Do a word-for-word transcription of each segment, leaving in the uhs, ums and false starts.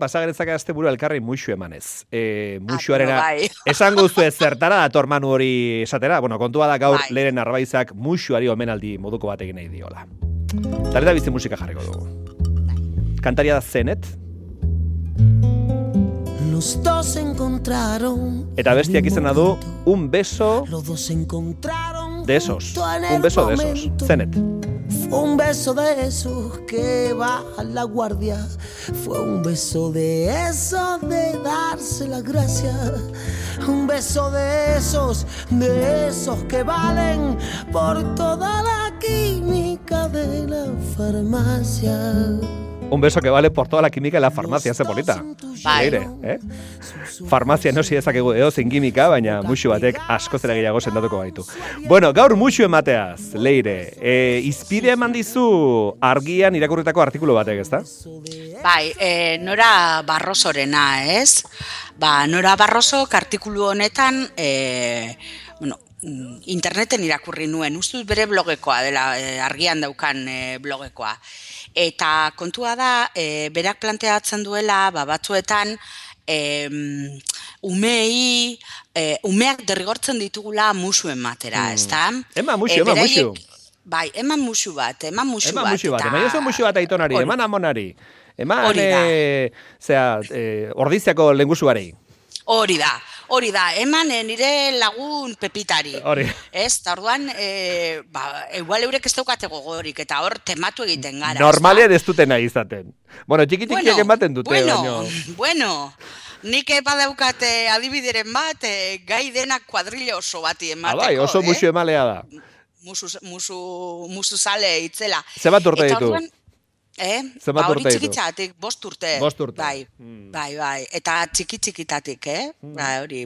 pasageretzak azte buru elkarri muxu emanez. E, muxuarena, esango zu ez zertara dator manu hori esatera, bueno, kontua da gaur bai. Leren Arbaizak muxuari omenaldi moduko bat egin nahi diola. Taleta bizi musika jarriko dugu. Kantaria da Zenet. Los dos encontraron. Eta bestiak izena du Un beso de esos. Un beso de esos. Zenet. Fue un beso de esos que baja la guardia. Fue un beso de esos de darse las gracias. Un beso de esos, de esos que valen por toda la química de la farmacia. Un beso que vale por toda la química de la farmacia, ze polita. Leire, eh? Farmazia no si ezakegu edozein kimika, baina muxu batek asko zera gehiago sendatuko gaitu. Bueno, gaur muxu emateaz, Leire. E, izpide eman dizu argian irakurritako artikulu batek, ezta? Bai, e, Nora Barrosorena, ez? Ba, Nora Barrosok artikulu honetan, e, bueno, interneten irakurri nuen, ustuz bere blogekoa dela, e, argian daukan e, blogekoa. Eta kontua da, e, berak planteatzen duela, ba, batzuetan, e, umei, e, umeak derrigortzen ditugula musu ematera, hmm. ezta? Ema musu, e, ema musu. Bai, eman musu bat, eman musu ema bat. Musu bat. Eta... Eman musu, musu bat aitonari, Or... eman amonari. Eman, e, zera, e, ordiziako lengusuarei. Hori da, hori da, eman nire lagun Pepitari. Hori. Ez, eta orduan, e, ba, igual eurek ez daukate gogorik, eta hor tematu egiten gara. Normalean ez dutena izaten. Bueno, txiki-txikiak bueno, ematen dute. Bueno, baino. bueno, nik badaukate adibideren bat, e, gai denak kuadrilla oso bati emateko. Ah, bai, oso musu eh? emalea da. Musu, musu, musu sale itzela. Zebat urte ditu? Orduan, Eh? Ba, hori txikitzatik, bost urte. Bost urte. Bai, hmm. bai, bai. Eta txiki-txikitatik, eh? Hmm. Ba, hori,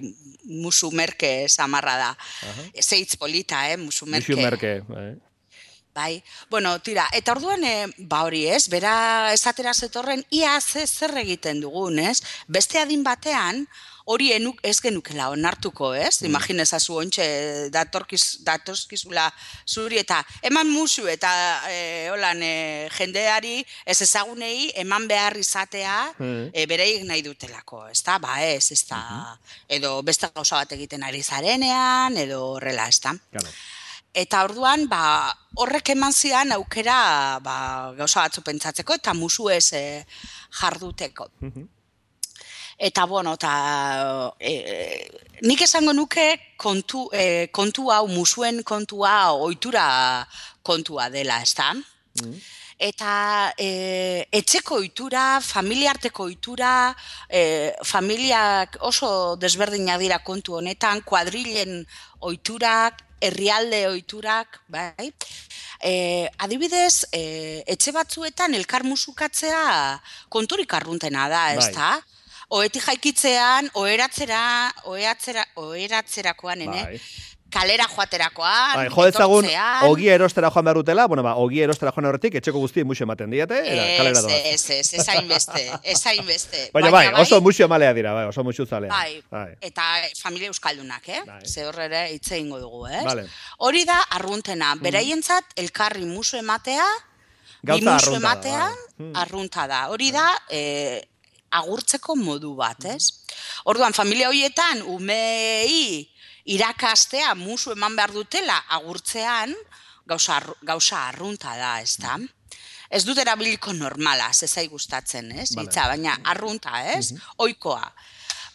musu merke samarra da. Uh-huh. Zeitz polita, eh? Musu merke. Musu merke, bai. Bai, bueno, tira, eta orduan, eh, ba hori ez, bera esatera zetorren, ia ze zer egiten dugun, ez? Beste adin batean, hori enuk, ez genukela onartuko, ez? Mm. Imaginezazu ontxe datorkiz, datorkizula zuri eta eman musu eta e, holan, e, jendeari ez ezagunei eman behar izatea mm. e, bereik nahi dutelako, ez da? Ba ez, ez da, mm-hmm. edo beste gauza bat egiten ari zarenean, edo horrela, ez da? Claro. Eta orduan, ba, horrek eman zian aukera ba, gauza batzu pentsatzeko eta musu ez e, jarduteko. Mm-hmm. Eta, bueno, eta e, nik esango nuke kontu, e, kontu hau, musuen kontua, ohitura kontua dela, ez da? Mm. Eta e, etxeko ohitura, familiarteko ohitura, e, familiak oso desberdinak dira kontu honetan, kuadrilen ohiturak, herrialde ohiturak, bai? E, adibidez, e, etxe batzuetan elkar musukatzea konturik arruntena da, ez da? Bai. Oeti jaikitzean, oheratzera, oheratzera, oheratzerakoan, ene? Bai. Kalera joaterakoan, bai, jodetzagun, ogi erostera joan behar dutela, bueno, ba, ogi erostera joan horretik, etxeko guztien musu ematen diate, era, kalera doaz. Ez, ez, ez, ez hainbeste, ez hainbeste. Baina, bai, oso musu emalea dira, bai, oso musu zalea. Bai, bai. Eta familia euskaldunak, eh? Bai. Ze horrere hitze ingo dugu, eh? Vale. Hori da, arruntena, beraientzat elkarri musu ematea, bi musu ematea, bai. Arrunta da. Hori da, eh, agurtzeko modu bat, ez? Orduan, familia horietan, umei irakastea musu eman behar dutela agurtzean, gauza, gauza arrunta da, ez da? Ez dut erabiliko normala, zezai gustatzen, ez? Vale. Itza, baina arrunta, ez? Uh-huh. Oikoa.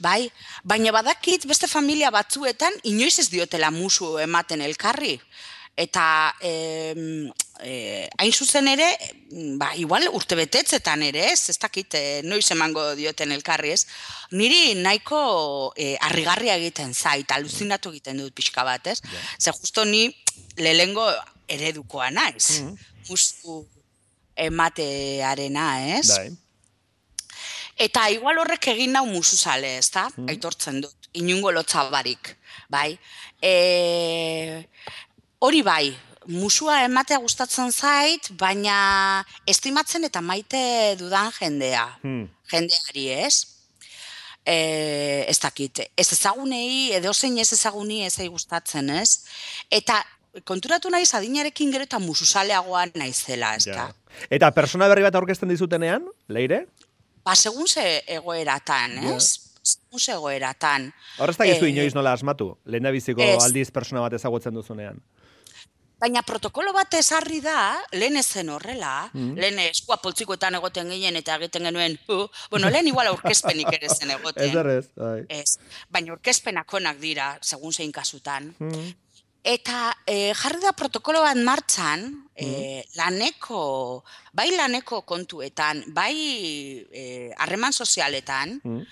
Bai? Baina badakit beste familia batzuetan, inoiz ez diotela musu ematen elkarri. Eta eh, eh, hain zuzen ere, ba, igual urtebetetzetan ere, ez, ez dakit eh, noiz emango dioten elkarri, ez, niri nahiko eh, harrigarria egiten zait, aluzinatu egiten dut pixka bat, ez, yeah. Ze justo ni lehengo eredukoa naiz, mm-hmm. Musu ematearena, ez. Dai. Eta igual horrek egin nau musu zale, ez da, mm-hmm. Aitortzen dut, inungo lotzabarik, bai. E... Hori bai, musua ematea gustatzen zait, baina estimatzen eta maite dudan jendea, hmm. jendeari, ez? E, ez dakit, ez ezagunei, edo zein ez ezaguni ez gustatzen, ez? Eta konturatu naiz adinarekin gero eta musuzaleagoa naizela, ez da? Ja. Eta persona berri bat aurkezten dizutenean, Leire? Ba, segun ze egoeratan, ez? Segun ze egoeratan. Horrez da gizu inoiz nola asmatu, lehendabiziko aldiz persona bat ezagutzen duzunean. Baina protokolo bat ezarri da, lehen ezen horrela, mm. lehen eskua poltsikoetan egoten ginen eta egiten genuen, uh, bueno, lehen igual aurkezpenik ere zen egoten. Ez errez, bai. Ez, baina aurkezpenak onak dira, segun zein kasutan. Mm. Eta e, jarri da protokolo bat martxan, mm. e, laneko, bai laneko kontuetan, bai harreman e, sozialetan, mm.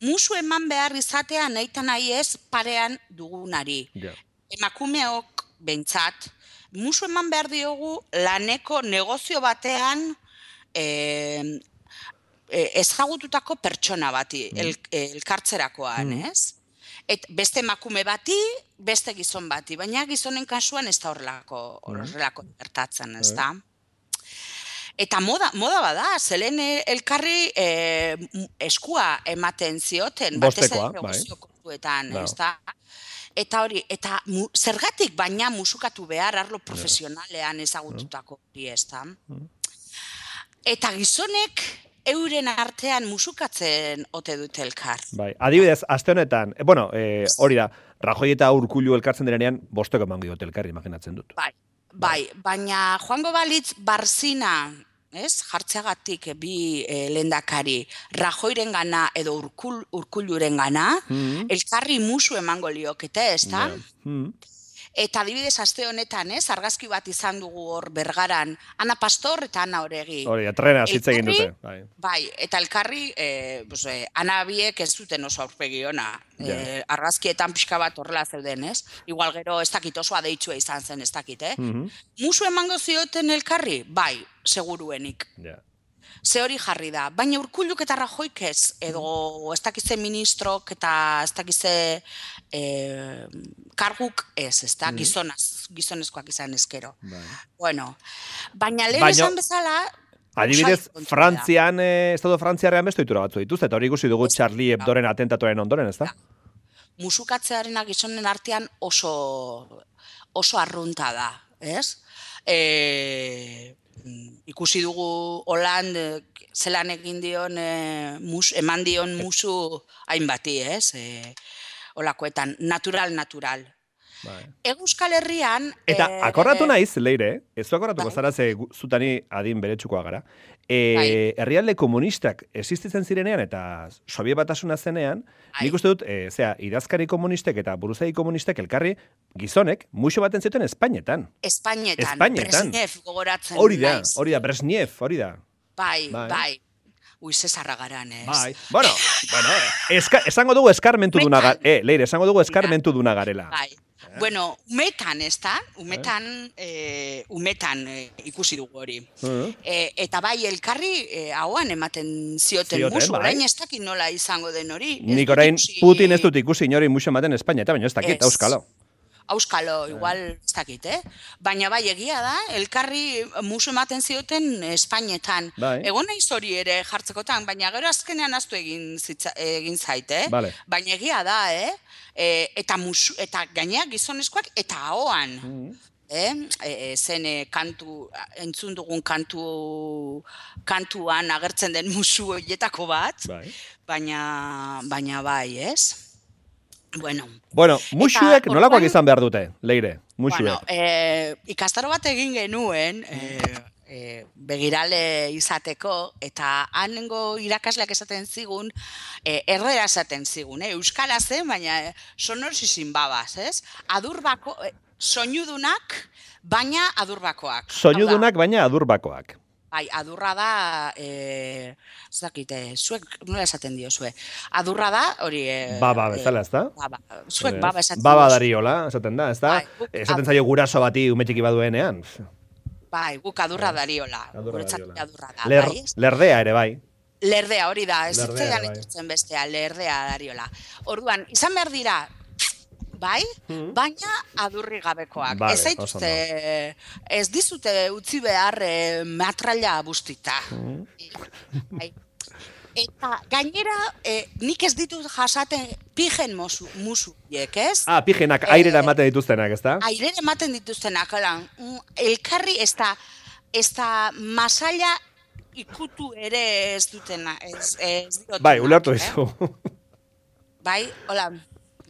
musu eman behar izatea nahi eta nahi ez parean dugunari. Yeah. Emakumeok behintzat, musu eman behar diogu laneko negozio batean e, e, ezagututako pertsona bati, mm. el, elkartzerakoan, mm. ez? Et beste emakume bati, beste gizon bati, baina gizonen kasuan ez da horrelako, horrelako gertatzen, ez da? Eta moda, moda bada, zelen elkarri e, eskua ematen zioten, bostekoa, batez negozio kontuetan, ez da? Eta hori, eta mu, zergatik baina musukatu behar arlo profesionalean ezagututako hori, ez da? Eta gizonek euren artean musukatzen ote dute elkar. Bai, adibidez, aste honetan, e, bueno, e, hori da, Rajoy eta Urkullu elkartzen direnean, bosteko eman diote elkarri, imaginatzen dut. Bai, bai, baina joango balitz Barzina, ez, jartzeagatik bi e, lehendakari, Rajoyren gana edo Urkul, Urkulluren gana, mm-hmm. elkarri musu emango liokete, ez da? Yeah. Mm-hmm. Eta adibidez aste honetan, ez, argazki bat izan dugu hor Bergaran, Ana Pastor eta Ana Oregi. Hori, atrena hitz egin dute. Bai. bai, eta elkarri, e, pues, e, Ana biek ez zuten oso aurpegi ona. Yeah. E, argazkietan pixka bat horrela zeuden, ez? Igual gero ez dakit oso adeitsua izan zen, ez dakit, eh? Mm-hmm. Musu emango zioten elkarri? Bai, seguruenik. Yeah. Ze hori jarri da, baina Urkulluk eta Rajoyk ez, edo ez dakize ministrok eta ez dakize e, karguk ez, ez da, gizonaz, gizonezkoak izan ezkero. Bai. Bueno, baina lehen baino, esan bezala... Adibidez, Frantzian, eh, Estado Frantziarrean bestu ditura batzu dituz, eta hori ikusi dugu ez, Charlie Hebdoren atentatuaren ondoren, ez da? Musukatzearen gizonen artean oso, oso arrunta da, ez? E... ikusi dugu Holand zelan egin dion e, mus, eman dion musu hainbati, ez? E, olakoetan, natural, natural. Bai. Euskal Herrian... Eta e, akordatu naiz, Leire, ez du akordatuko bai. Zara ze zutani adin beretsukoa gara. E, bai. Herrialde komunistak existitzen zirenean eta Sobiet Batasuna zenean, bai. Nik uste dut, e, zera, idazkari komunistek eta buruzagi komunistek elkarri gizonek muxo baten zuten Espainetan. Espainetan, Espainetan. Brezhnev gogoratzen. Hori da, hori da, Brezhnev, hori da. Bai, bai. bai. Ui, zesarra garan, ez? Bai, bueno, bueno, eska, esango dugu eskarmentu duna gara. Eh, Leire, esango dugu eskarmentu duna garela. Bai. Eh? Bueno, umetan, ez da? Umetan, eh? Eh, umetan eh, ikusi dugu hori. Uh-huh. eh, eta bai, elkarri eh, hauan ematen zioten, zioten musu, bai. Orain ez dakit nola izango den hori. Nik orain ikusi... Putin ez dut ikusi inori musu ematen Espainia, eta baina ez dakit, auskalo. Auskalo, igual ez dakit, eh? Baina bai, egia da, elkarri musu ematen zioten Espainetan. Bai. Egon naiz hori ere jartzekotan, baina gero azkenean aztu egin, zitza, egin zaite, eh? Vale. Baina egia da, eh? E, eta, musu, eta gaineak gizonezkoak eta ahoan. Mm-hmm. Eh? E, e, zen e, kantu, entzun dugun kantu, kantuan agertzen den musu horietako bat, bai. Baina, baina bai, ez? Bueno, bueno musuek nolakoak izan behar dute, Leire, musuek. Bueno, e, ikastaro bat egin genuen, e, e, begirale izateko, eta hanengo irakasleak esaten zigun, e, errera esaten zigun, eh? Euskara zen, baina sonorsizin babaz, ez? Adurbako, e, soinudunak, baina adurbakoak. Soinudunak, baina adurbakoak. Bai, adurra da, eh, zakite, zuek nola esaten dio, zue. Adurra da, hori... Eh, baba bezala, ez da? Baba, zuek baba esaten dio. Baba dariola, esaten da, ez da? Bai, esaten zaio guraso bati umetxiki baduenean. Bai, guk adurra dariola. Adurra dariola. Adurra da, Ler, bai? Lerdea ere, bai. Lerdea, hori da, ez zitzaidan ikusten bestea, lerdea dariola. Orduan, izan behar dira, bai, hmm. baina adurri gabekoak. Vale, ez zaituzte, ez dizute utzi behar eh, matraila bustita. Hmm. Bai. Eta gainera, eh, nik ez ditut jasaten pijen musu, musuiek, ez? Ah, pijenak, eh, airera ematen dituztenak, ez da? Airera ematen dituztenak, lan. Elkarri ez da, ez da masaila ikutu ere ez dutena, ez, ez diotu. Bai, ulertu dizu. Eh? Bai, hola,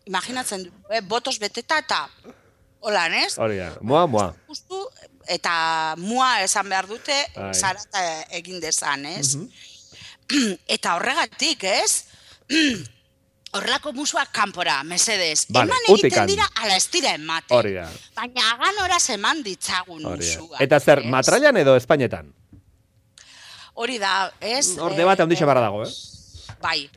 imaginatzen du, eh, botos beteta eta hola, ez? Hori da, mua, mua. Justu, eta mua esan behar dute, Ai. zarata egin dezan, ez? Mhm. Eta horregatik, ez? Horrelako musuak kanpora, mesedez. Vale, eman egiten utikan. dira, ala ez dira ematen. Hori da. Baina hagan horaz eman ditzagun Hori da. musuak. Eta zer, ez? matrailan edo Espainetan? Hori da, ez? Hor debate handixe barra dago, eh? Bai.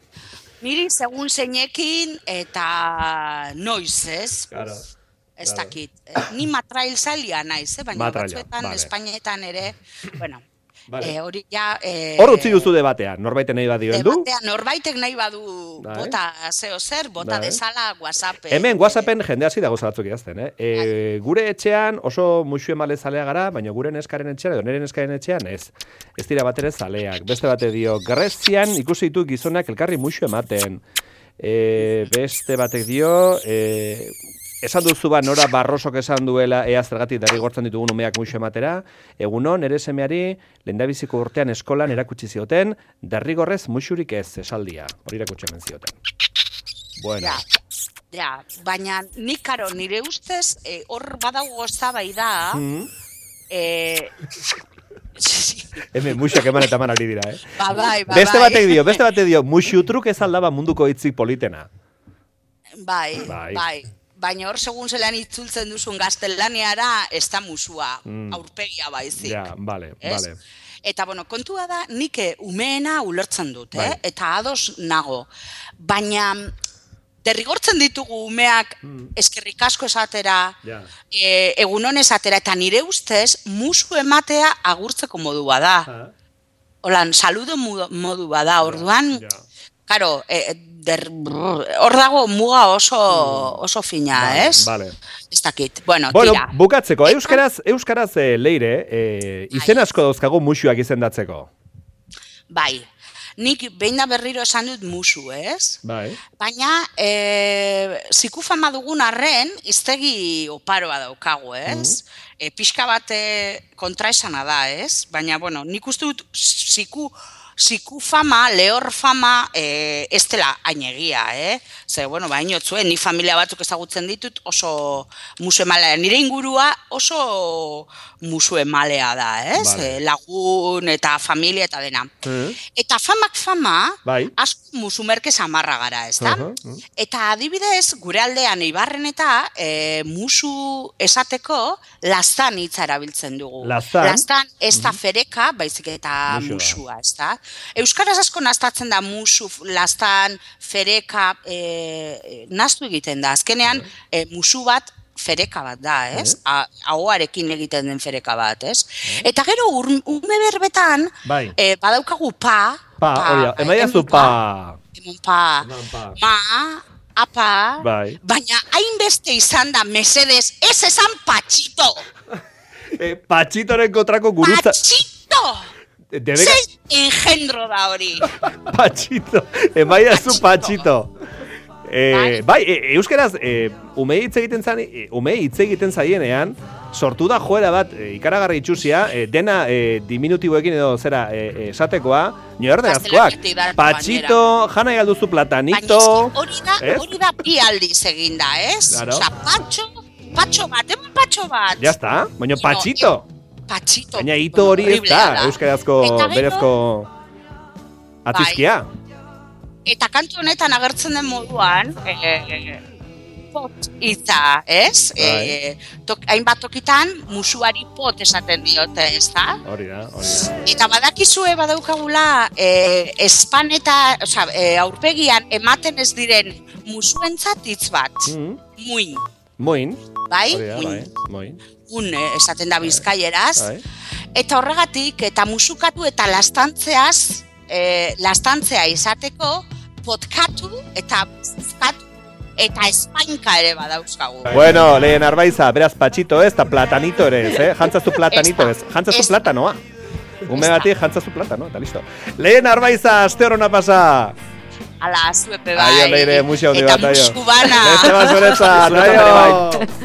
Niri segun zeinekin eta noiz, ez? Claro. Ez claro. dakit. Ni matrail zalia naiz, eh? Baina Matraila, batzuetan, vale. Espainetan ere, bueno, Vale. eh, hori ja... Eh, Hor utzi duzu debatean, norbaiten nahi badio heldu? Debatean, norbaitek nahi badu Bai. bota zeo zer, bota Bai. dezala WhatsAppen. Hemen WhatsAppen jende hasi dago batzuk idazten, eh? E, gure etxean oso musu emale zalea gara, baina gure neskaren etxean edo nire neskaren etxean ez. Ez dira batere zaleak. Beste bate dio, Grezian ikusi ditu gizonak elkarri musu ematen. E, beste batek dio, e, esan duzu ba Nora Barrosok esan duela ea zergatik derrigortzen ditugun umeak musu ematera, egunon nere semeari lehendabiziko urtean eskolan erakutsi zioten, derrigorrez musurik ez esaldia. Hori erakutsi hemen zioten. Bueno. Ja, ja, baina nik karo nire ustez, eh, hor badago eztabaida, Mm. eh, Hemen musuak eman eta eman ari dira, eh? ba, bai, ba, Beste bai. batek dio, beste batek dio, musutruk ez aldaba munduko hitzik politena. Bai, Bai. bai. Baina hor segun zelan itzultzen duzun gaztelaniara, ez da musua, Mm. aurpegia baizik. Ja, vale, ez? vale. Eta, bueno, kontua da, nik umeena ulertzen dut, eh? Bai. Eta ados nago. Baina, derrigortzen ditugu umeak eskerrik asko esatera, Ja. e, egunon esatera, eta nire ustez, musu ematea agurtzeko modua da. Ah, Holan, saludo modu, modu bada, orduan, ja. karo, e, der, brr, hor dago muga oso, oso fina, Vale, ez? vale. Ez dakit, bueno, Bueno, tira. bukatzeko, euskaraz, euskaraz eh, leire, eh, izen asko dauzkagu musuak izendatzeko. Bai, nik behin da berriro esan dut musu, ez? Bai. Baina, e, zikufama dugun arren, iztegi oparoa daukagu, ez? E, pixka bat e, kontraesana da, ez? Baina, bueno, nik uste dut ziku, ziku fama, lehor fama, e, ez dela ainegia, eh? Ze, bueno, ba, inotzuen, ni familia batzuk ezagutzen ditut oso musu emalea. Nire ingurua oso musu emalea da, ez? Vale. E, lagun eta familia eta dena. Mm. Eta famak fama, Bai. asko musu merke samarra gara, ez da? Aha, mm. Eta adibidez, gure aldean Eibarren eta e, musu esateko lastan hitza erabiltzen dugu. Lastan? Lastan ez da fereka, baizik eta Musu da. musua, ez da? Euskaraz asko naztatzen da musu, lastan, fereka, e, naztu egiten da. Azkenean, e, musu bat fereka bat da, ez? A- Ahoarekin egiten den fereka bat, ez? Eta gero, ur- ume berbetan, Bai. e, badaukagu pa, Pa, hori da, emaiazu emon pa. emon pa, Eman pa. ma, apa, Bai. baina hainbeste izan da mesedez, ez esan patxito, Eh, patxitoren kontrako gurutza. patxito! Debeka... Zer engendro da hori. Patxito, emaiazu patxito. Eh, Bai. bai, e, euskeraz, e, umei hitz egiten zan, e, umei hitz egiten zaienean, sortu da joera bat e, ikaragarri itxusia, e, dena e, diminutiboekin edo zera e, esatekoa, nioerderazkoak. Gaztelanitik da, Patxito, jana galduzu platanito. Baina hori da, ez? hori da bi aldiz eginda, ez? Claro. Osa, patxo, patxo bat, eman patxo bat. Ya está, baina No, patxito. Patxito. Baina hito hori ez horriblea da, euskarazko, Eta gero- berezko atizkia. Eta kantu honetan agertzen den moduan, e, pot hitza, ez? Bai. E, tok, hainbat tokitan musuari pot esaten diote, ez da? Hori da, hori da. Eta badakizue badaukagula e, espan eta, osea, e, aurpegian ematen ez diren musuentzat hitz bat. Mm. Muin, Moin, bai? hori da, Muin. bai, moin. Un eh, esaten da bizkaieraz. Bai. Eta horregatik, eta musukatu eta lastantzeaz, e, lastantzea izateko, potkatu eta bizkatu eta espainka ere badauzkagu. Bueno, lehen arbaiza, beraz patxito ez, eta platanito ere ez, eh? Jantzazu platanito ez, Ez da. jantzazu Ez da. platanoa. Ume Ez da. bati jantzazu platano, eta listo. Lehen arbaiza, aste horona pasa. Ala, zuepe bai. Aio, leire, musio handi bat, Eta aio. musu bana. Beste bat zuretzat, aio.